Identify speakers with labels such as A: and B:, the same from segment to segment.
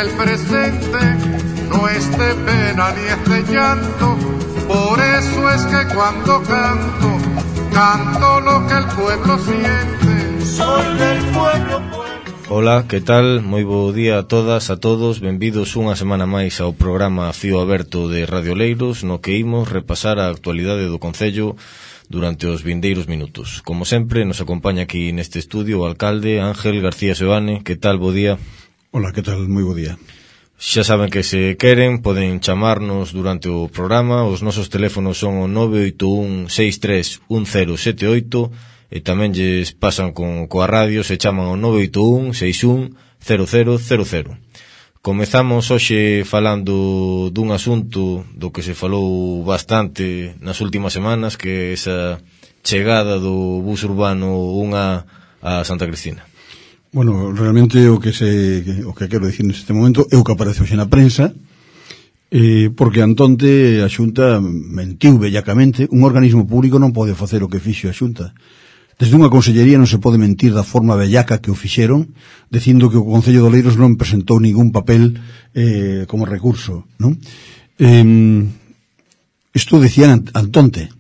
A: el presente no es de pena ni es de llanto. Por eso es que cuando canto, canto lo que el pueblo siente. Soy del pueblo.
B: Ola, que tal? Moi bo día a todas, a todos. Benvidos unha semana máis ao programa Fío Aberto de Radio Leiros, no que imos repasar a actualidade do Concello durante os vindeiros minutos. Como sempre, nos acompaña aquí neste estudio o alcalde Ángel García Seoane. Que tal? Bo día.
C: Ola, que tal? Moi bo día.
B: Xa saben que se queren poden chamarnos durante o programa. Os nosos teléfonos son o 981 63 1078 e tamén lles pasan coa radio, se chaman o 981 61 0000. Comezamos hoxe falando dun asunto do que se falou bastante nas últimas semanas, que é esa chegada do bus urbano 1 a Santa Cristina.
C: Bueno, realmente o que quero dicir neste momento é o que aparece hoxe na prensa, porque antonte a Xunta mentiu bellacamente. Un organismo público non pode facer o que fixo a Xunta. Desde unha consellería non se pode mentir da forma bellaca que o fixeron, dicindo que o Concello de Oleiros non presentou ningún papel como recurso, non? Isto decían antonte,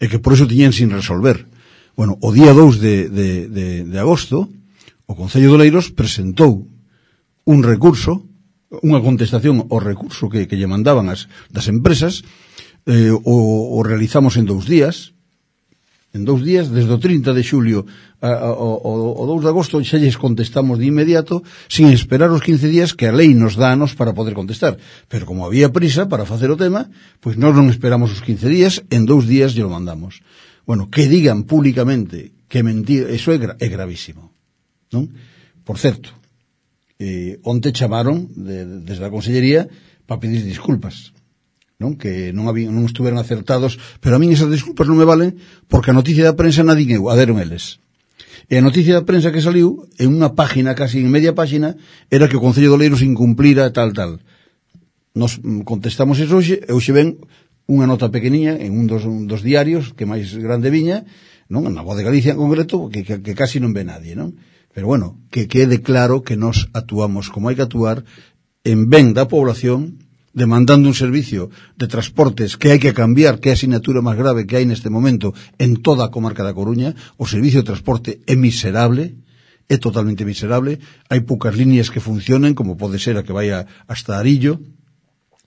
C: e que por eso tiñan sin resolver. Bueno, o día 2 de agosto, o Concello de Oleiros presentou un recurso, unha contestación ao recurso que lle mandaban das empresas. O realizamos en 2 días. En 2 días, desde o 30 de xulio ao 2 de agosto, xa lles contestamos de inmediato, sin esperar os 15 días que a lei nos dános para poder contestar. Pero como había prisa para facer o tema, pois nós non esperamos os 15 días, en 2 días lle lo mandamos. Bueno, que digan públicamente que mentir, eso é gravísimo, non? Por certo, onte chamaron desde a consellería para pedir disculpas, non? Que non estuveran acertados, pero a min esas disculpas non me valen, porque a noticia da prensa nadie a deron eles. E a noticia da prensa que saliu en unha página, casi en media página, era que o Concello de Oleiros incumplira tal. Nos contestamos eso hoxe, e hoxe ven unha nota pequeniña en un dos diarios que máis grande viña, non? Na Voz de Galicia en concreto, que casi non ve nadie, non? Pero bueno, que quede claro que nos actuamos como hai que actuar en ben da población, demandando un servicio de transportes que hai que cambiar, que é a asignatura máis grave que hai neste momento en toda a comarca da Coruña. O servicio de transporte é miserable, é totalmente miserable. Hai poucas líneas que funcionen, como pode ser a que vai hasta Arillo,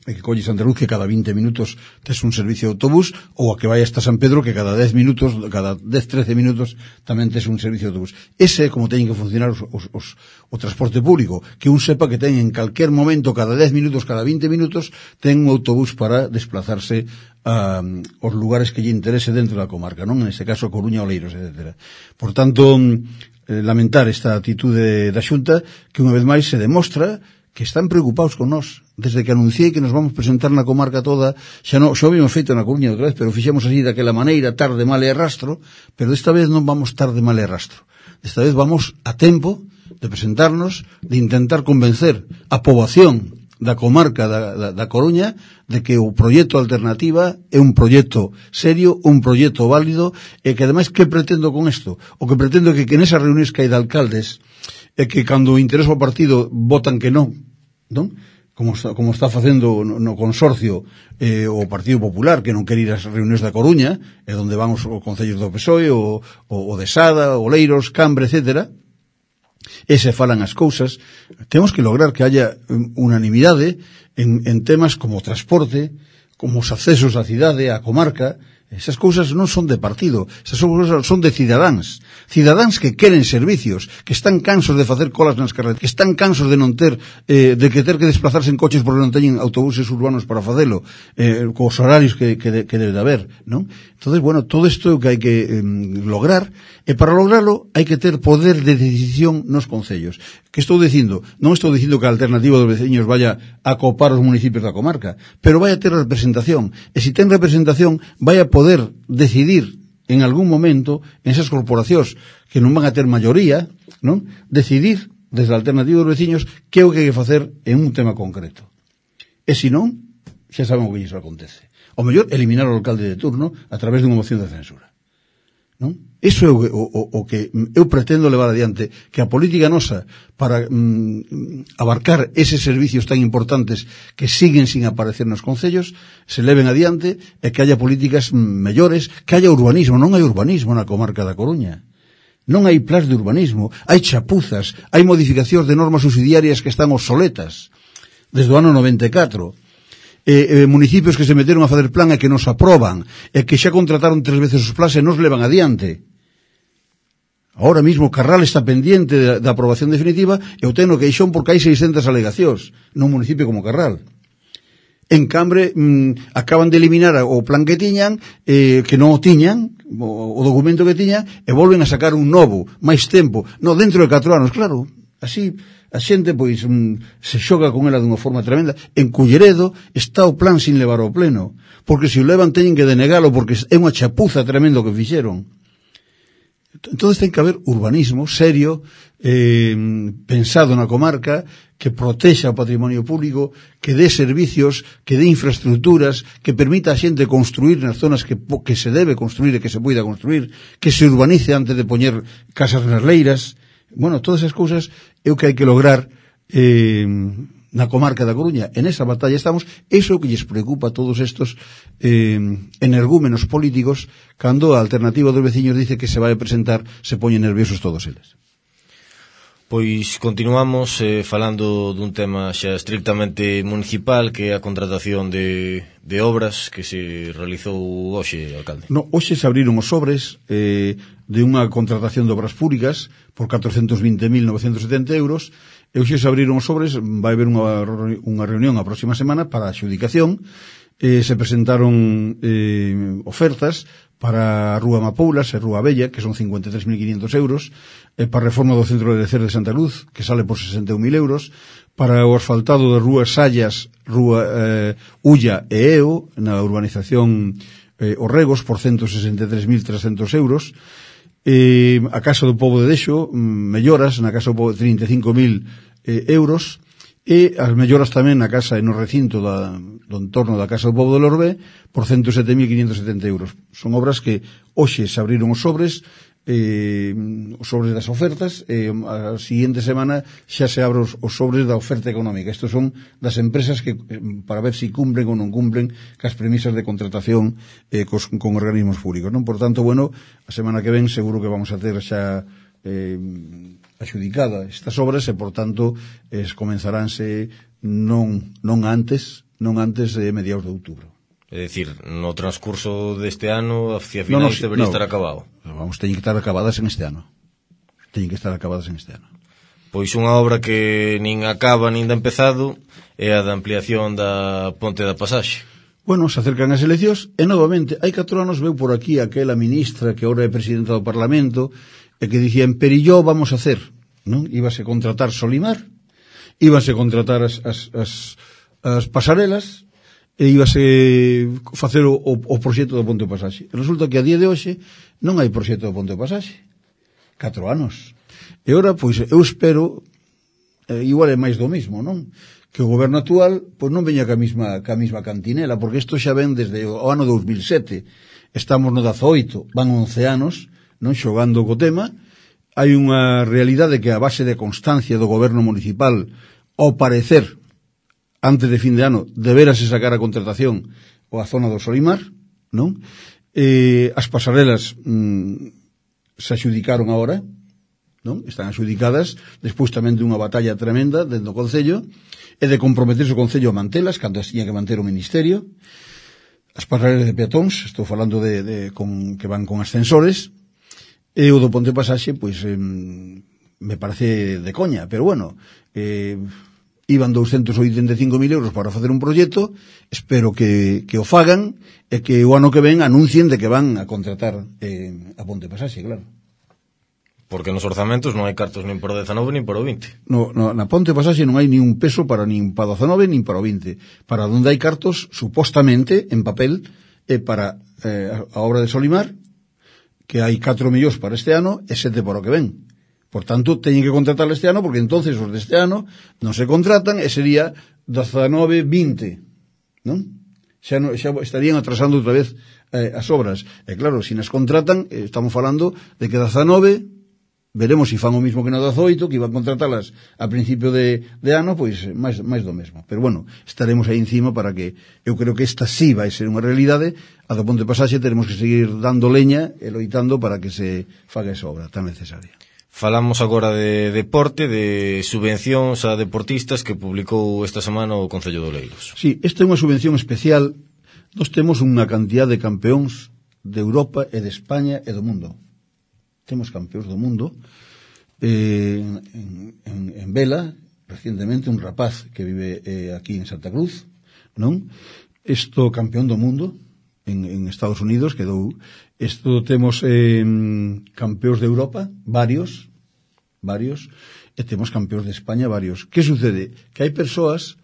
C: e que colle Santa Luz, que cada 20 minutos tes un servicio de autobús, ou a que vai hasta San Pedro, que cada 10 minutos, cada 10-13 minutos tamén tes un servicio de autobús. Ese é como teñen que funcionar o transporte público, que un sepa que ten en calquer momento, cada 10 minutos, cada 20 minutos, ten un autobús para desplazarse aos lugares que lle interese dentro da comarca, non? En este caso, Coruña, Oleiros, etc. Por tanto, lamentar esta atitude da Xunta, que unha vez máis se demostra que están preocupados con nós. Desde que anunciei que nos vamos presentar na comarca toda, xa habíamos feito na Coruña outra vez, pero fixemos así daquela maneira, tarde, mal e arrastro, pero desta vez non vamos tarde, mal e arrastro. Desta vez vamos a tempo de presentarnos, de intentar convencer a poboación da comarca da Coruña de que o proxecto Alternativa é un proxecto serio, un proxecto válido, e que ademais, que pretendo con isto? O que pretendo é que nesas reunións que hai de alcaldes, é que cando interesa o partido votan que non? Como está facendo no consorcio o Partido Popular, que non quere ir ás reunións da Coruña, e onde van os concellos do PSOE, o de Sada, Oleiros, Cambre, etc. E se falan as cousas. Temos que lograr que haya unanimidade en temas como o transporte, como os accesos á cidade, á comarca. Esas cousas non son de partido, esas cousas son de cidadáns que queren servicios, que están cansos de facer colas nas carreteras, que están cansos de non ter que desplazarse en coches porque non teñen autobuses urbanos para facelo, cos horarios que debe de haber, non? Entonces, bueno, todo isto é o que hai que lograr, e para lograrlo hai que ter poder de decisión nos concellos. Que estou dicindo? Non estou dicindo que a Alternativa dos veciños vaya a copar os municipios da comarca, pero vai a ter representación, e se ten representación vai a poder decidir en algún momento en esas corporacións que non van a ter maioría, non? Decidir desde a Alternativa dos veciños que é o que hai que facer en un tema concreto. E se non, xa saben o que iso acontece. O mellor, eliminar o alcalde de turno a través dunha moción de censura. non? Iso é o que eu pretendo levar adiante, que a política nosa para abarcar eses servicios tan importantes que siguen sin aparecer nos concellos se leven adiante e que haya políticas mellores, que haya urbanismo. Non hai urbanismo na comarca da Coruña, non hai plans de urbanismo, hai chapuzas, hai modificacións de normas subsidiarias que están obsoletas desde o ano 94, municipios que se meteron a facer plan e que nos aproban e que xa contrataron 3 veces os plans e nos levan adiante. Ahora mismo Carral está pendiente da aprobación definitiva e o ten no queixón porque hai 600 alegacións nun municipio como Carral. En Cambre acaban de eliminar o plan que tiñan, que non o tiñan, o documento que tiñan, e volven a sacar un novo, máis tempo, dentro de 4 anos, claro. Así a xente pois se xoga con ela dunha forma tremenda. En Culleredo está o plan sin levar ao pleno, porque se o levan teñen que denegalo porque é unha chapuza tremendo que fixeron. Entonces ten que haber urbanismo serio, pensado na comarca, que protexa o patrimonio público, que dé servicios, que dé infraestructuras, que permita a xente construir nas zonas que se debe construir e que se poida construir, que se urbanice antes de poñer casas nas leiras. Bueno, todas esas cousas é o que hai que lograr na comarca da Coruña. En esa batalla estamos. Iso é o que lles preocupa a todos estos energúmenos políticos, cando a alternativa dos veciños dice que se vai a presentar, se poñen nerviosos todos eles.
B: Pois continuamos falando dun tema xa estrictamente municipal, que é a contratación de obras que se realizou hoxe, alcalde.
C: Hoxe se abriron os sobres de unha contratación de obras públicas por 420.970 euros. E hoxe se abriron os sobres, vai haber unha reunión a próxima semana para a adxudicación. Se presentaron ofertas para a Rúa Mapoulas e Rúa Bella, que son 53.500 euros, para a reforma do centro de Lecer de Santa Luz, que sale por 61.000 euros, para o asfaltado de Rúa Sallas, Rúa Ulla e Eo, na urbanización Orregos, por 163.300 euros, a Casa do Pobo de Dexo, melloras na Casa do Pobo de 35.000 euros, e as melloras tamén na casa e no recinto do entorno da Casa do Pobo de Lorbé por 107.570 euros. Son obras que hoxe se abriron os sobres das ofertas, a siguiente semana xa se abren os sobres da oferta económica. Estos son das empresas que para ver se cumplen ou non cumplen cas premisas de contratación con organismos públicos, non? Por tanto, bueno, a semana que ven seguro que vamos a ter xa axudicada estas obras e, por tanto, comenzaránse non antes de mediados de outubro.
B: É dicir, no transcurso deste ano, hacia finais debería estar acabado.
C: Teñen que estar acabadas en este ano.
B: Pois unha obra que nin acaba nin da empezado é a da ampliación da Ponte da Pasaxe.
C: Bueno, se acercan as eleccións e novamente, hai 4 anos veu por aquí aquela ministra que ahora é presidenta do Parlamento e que dicía, en Perilló vamos a hacer, non? Íbase a contratar Solimar, íbase a contratar as pasarelas e íbase facer o proxecto do Ponte de Pasaxe. Resulta que a día de hoxe non hai proxecto do Ponte de Pasaxe. 4 anos. E ora, pois, eu espero, igual é máis do mismo, non? Que o goberno actual, pois non veña ca mesma cantinela, porque isto xa ven desde o ano 2007. Estamos no 18, van 11 anos, non, xogando co tema. Hai unha realidade que a base de constancia do goberno municipal, ao parecer, antes de fin de ano, deberase sacar a contratación ou a zona do Solimar, non? As pasarelas se axudicaron agora, non? Están axudicadas, despois tamén de unha batalla tremenda dentro do Concello, e de comprometerse o Concello a mantelas, cando as tiña que manter o Ministerio. As pasarelas de peatóns, estou falando que van con ascensores, e o do Ponte Pasaxe, pois, me parece de coña, pero bueno, iban 285.000 euros para facer un proxecto, espero que o fagan e que o ano que ven anuncien de que van a contratar a Ponte Pasaxe, claro.
B: Porque nos orzamentos non hai cartos nin para o 19 nin para o 20.
C: Na Ponte Pasaxe non hai ni un peso para nin para o 19 nin para o 20. Para onde hai cartos, supostamente, en papel, para a obra de Solimar, que hai 4 millóns para este ano e 7 para o que ven. Por tanto, teñen que contratar este ano, porque entonces os deste ano non se contratan e sería 19-20, non? xa estarían atrasando outra vez as obras. E claro, se nas contratan, estamos falando de que 19, veremos se fan o mismo que na 18, que iban contratalas a principio de ano, pois máis do mesmo. Pero bueno, estaremos aí encima para que, eu creo que esta sí vai ser unha realidade. A do Ponte Pasaxe teremos que seguir dando leña e loitando para que se faga esa obra tan necesaria.
B: Falamos agora de deporte, de subvencións a deportistas que publicou esta semana o Concello de Oleiros.
C: Sí, esta é unha subvención especial. Nós temos unha cantidad de campeóns de Europa e de España e do mundo. Temos campeóns do mundo. En Vela, recientemente, un rapaz que vive aquí en Santa Cruz, non? Isto campeón do mundo en Estados Unidos quedou. Isto temos campeóns de Europa, varios, e temos campeóns de España, varios. Que sucede? Que hai persoas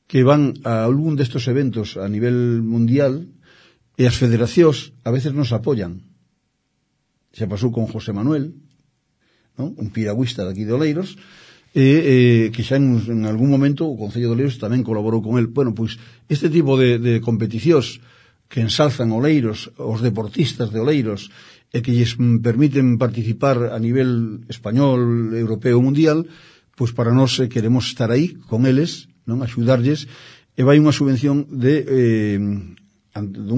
C: que van a algún destos eventos a nivel mundial e as federacións a veces nos apoyan. Xa pasou con José Manuel, non? Un piragüista daqui de Oleiros, que xa en algún momento o Concello de Oleiros tamén colaborou con el. Bueno, pois este tipo de competicións que ensalzan Oleiros, os deportistas de Oleiros, e que lles permiten participar a nivel español, europeo, mundial, pois para nós queremos estar aí con eles, non, axudarlles, e vai unha subvención dun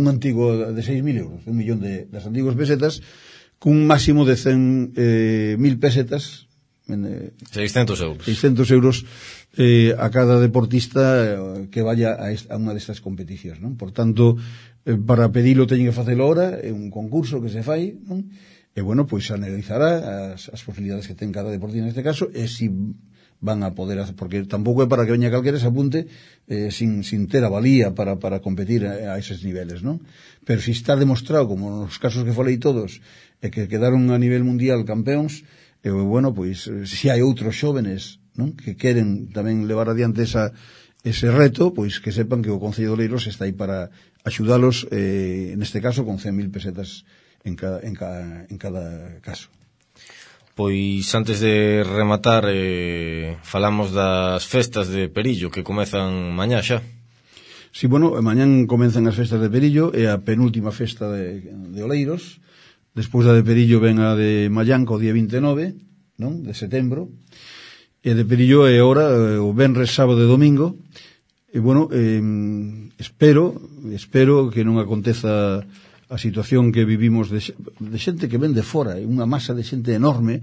C: antigo de 6.000 euros, 1 millón das antigas pesetas, cun máximo de 100.000 pesetas,
B: 600 euros.
C: 600 euros a cada deportista que vaya a unha destas competicións, non? Por tanto, para pedilo teñen que facelo ahora, é un concurso que se fai, non? E bueno, pois analizará as posibilidades que ten cada deportista neste caso, e si van a poder hacer, porque tampouco é para que veña calquera se apunte sin ter a valía para competir a eses niveles, non? Pero si está demostrado, como nos casos que falei todos, e que quedaron a nivel mundial campeóns, bueno, pois se hai outros xóvenes, non, que queren tamén levar adiante ese reto, pois que sepan que o Concello de Oleiros está aí para axudalos, neste caso con 100.000 pesetas en cada caso.
B: Pois antes de rematar, falamos das festas de Perillo que comezan mañá xa.
C: Sí, bueno, mañán comenzan as festas de Perillo, é a penúltima festa de Oleiros. Despois da de Perillo ven a de Mallanca o día 29, non, de setembro. E de Perillo é ora o venres, sábado e domingo. E bueno, espero que non aconteza a situación que vivimos de xente que ven de fora, unha masa de xente enorme,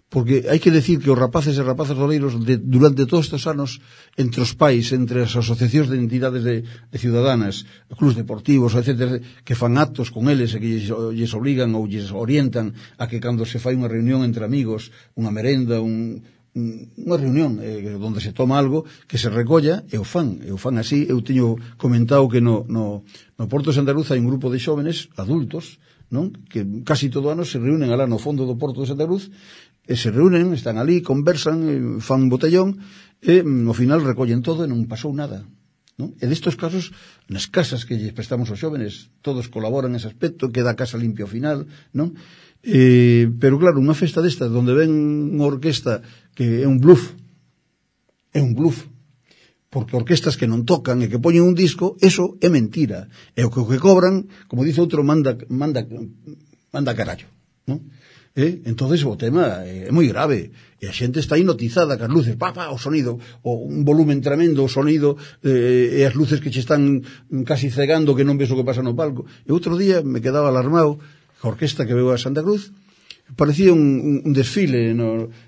C: porque hai que decir que os rapaces e rapazas de Oleiros durante todos estes anos, entre os pais, entre as asociacións de entidades de ciudadanas, clubs deportivos, etc., que fan actos con eles e que lles obligan ou lles orientan a que cando se fai unha reunión entre amigos, unha merenda, unha reunión onde se toma algo, que se recolla e o fan así. Eu teño comentado que no Porto de Santa Cruz hai un grupo de xóvenes adultos, non, que casi todo ano se reúnen alá no fondo do Porto de Santa Cruz, e se reúnen, están ali, conversan, fan botellón, e ao final recollen todo e non pasou nada, non? E destos casos, nas casas que lles prestamos aos xóvenes, todos colaboran nese aspecto, queda a casa limpia ao final, non? Pero claro, unha festa desta onde ven unha orquesta que é un bluff, porque orquestas que non tocan e que poñen un disco, eso é mentira, e o que cobran, como dice outro, manda carallo, non? Entonces o tema é moi grave, e a xente está hipnotizada, que as luces, o sonido, un volumen tremendo, o sonido, e as luces que che están casi cegando, que non ves o que pasa no palco. E outro día me quedaba alarmado, a orquesta que veo a Santa Cruz, parecía un desfile,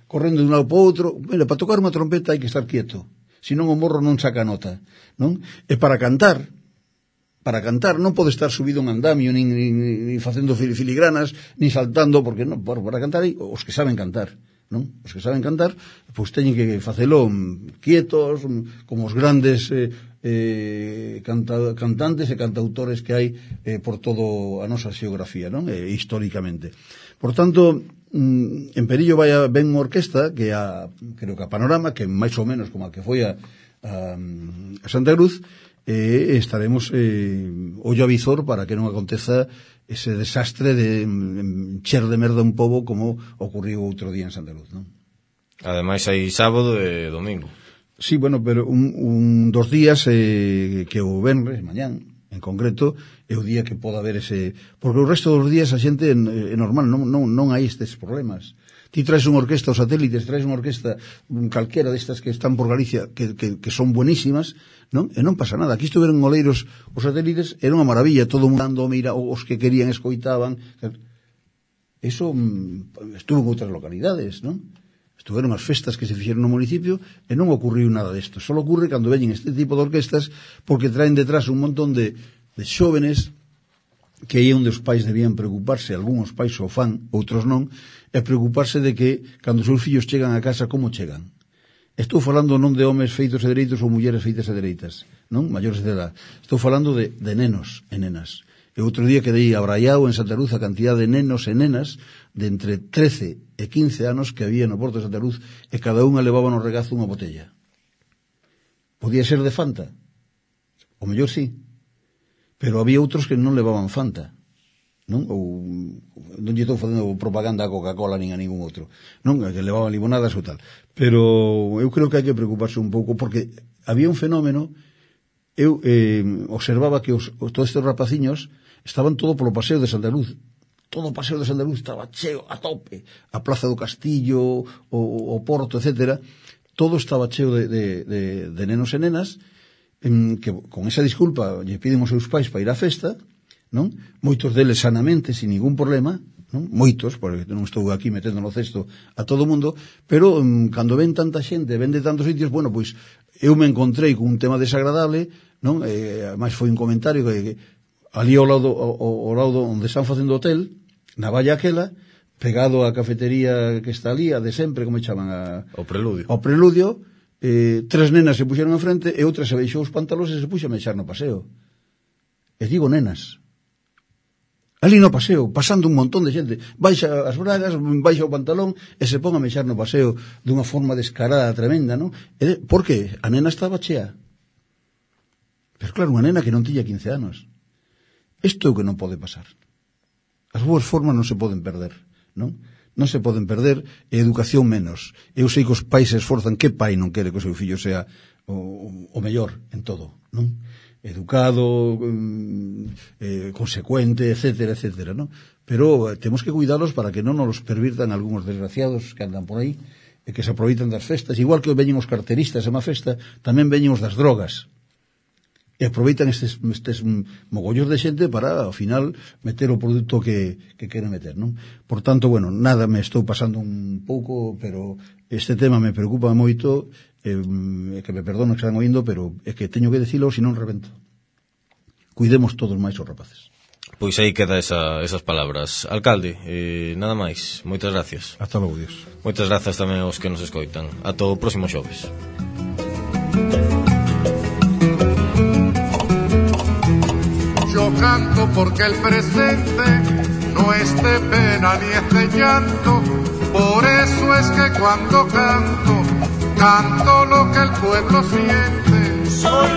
C: correndo de un lado para outro. Mira, para tocar unha trompeta hai que estar quieto, senón o morro non saca nota, non? E para cantar non pode estar subido un andamio, nin facendo filigranas, nin saltando, porque non, para cantar hai os que saben cantar, non? Os que saben cantar, pois teñen que facelo quietos, como os grandes cantantes e cantautores que hai por todo a nosa xeografía, non? Históricamente. Por tanto, en Perillo ven unha orquesta que creo que a Panorama, que máis ou menos como a que foi a Santa Cruz, estaremos ollo a visor para que non aconteza ese desastre de encher de merda un pobo como ocurriu outro día en Santa Cruz, non?
B: Ademais hai sábado e domingo.
C: Sí, bueno, pero dos días que o venres, mañán, En concreto, é o día que pode haber ese... Porque o resto dos días a xente é normal, non hai estes problemas. Ti traes unha orquesta aos satélites, traes unha orquesta calquera destas que están por Galicia, que son buenísimas, non? E non pasa nada. Aquí estuveron en Oleiros os satélites, era unha maravilla, todo mundo dando, mira, os que querían escoitaban. Eso estuvo en outras localidades, non? Estuveron as festas que se fixeron no municipio e non ocurriu nada desto. Só ocurre cando veñen este tipo de orquestas porque traen detrás un montón de xóvenes que aí onde os pais debían preocuparse, algúns pais o fan, outros non, e preocuparse de que cando os seus fillos chegan a casa, como chegan. Estou falando non de homes feitos e dereitos ou mulleres feitas e dereitas, non? Maiores de edad. Estou falando de nenos e nenas. E outro día quedei abraiado en Santa Luz a cantidad de nenos e nenas de entre 13 e 15 anos que había no Porto de Santa Luz e cada unha levaba no regazo unha botella. Podía ser de Fanta? O mellor sí. Pero había outros que non levaban Fanta. Non? Ou non lle estou facendo propaganda a Coca-Cola nin a ningún outro. Non? Que levaban limonadas ou tal. Pero eu creo que hai que preocuparse un pouco porque había un fenómeno. Eu observaba que todos estes rapaciños estaban todo polo paseo de Santa Luz. Todo o paseo de Santa Luz estaba cheo a tope. A Plaza do Castillo, o Porto, etcétera. Todo estaba cheo de nenos e nenas que con esa disculpa lle piden os seus pais para ir á festa, non? Moitos deles sanamente, sin ningún problema, non? Moitos, porque non estou aquí metendo no cesto a todo o mundo, pero cando ven tanta xente, ven de tantos sitios, bueno, pois eu me encontrei con un tema desagradable, non? Ademais foi un comentario que ali ao lado onde están facendo hotel, na valla aquela, pegado á cafetería que está ali, a de sempre, como chaman?
B: O Preludio.
C: O Preludio, tres nenas se puxeron enfrente e outra se baixou os pantalóns e se puxo a mexar no paseo. E digo nenas. Ali no paseo, pasando un montón de xente, baixa as bragas, baixa o pantalón e se pon a mexar no paseo dunha forma descarada tremenda, non? Por que? A nena estaba chea. Pero claro, unha nena que non tiña 15 anos. Isto é o que non pode pasar. As boas formas non se poden perder, non? Non se poden perder, e educación menos. Eu sei que os pais se esforzan, que pai non quere que o seu fillo sea o mellor en todo, non? Educado, consecuente, etcétera, etcétera, ¿no? Pero temos que cuidalos para que non nos pervirtan algúns desgraciados que andan por aí e que se aproveitan das festas, igual que veñen os carteristas a unha festa, tamén veñen os das drogas e aproveitan estes mogollos de xente para, ao final, meter o produto que queren meter, non? Por tanto, bueno, nada, me estou pasando un pouco, pero este tema me preocupa moito, que me perdono que están oindo, pero é que teño que dicilo, senón revento. Cuidemos todos máis os rapaces.
B: Pois aí queda esas palabras. Alcalde, nada máis. Moitas gracias.
C: Hasta logo, Dios.
B: Moitas grazas tamén aos que nos escoitan. Ata o próximo xoves.
A: Yo canto porque el presente no es de pena ni es de llanto. Por eso es que cuando canto, canto lo que el pueblo siente. Soy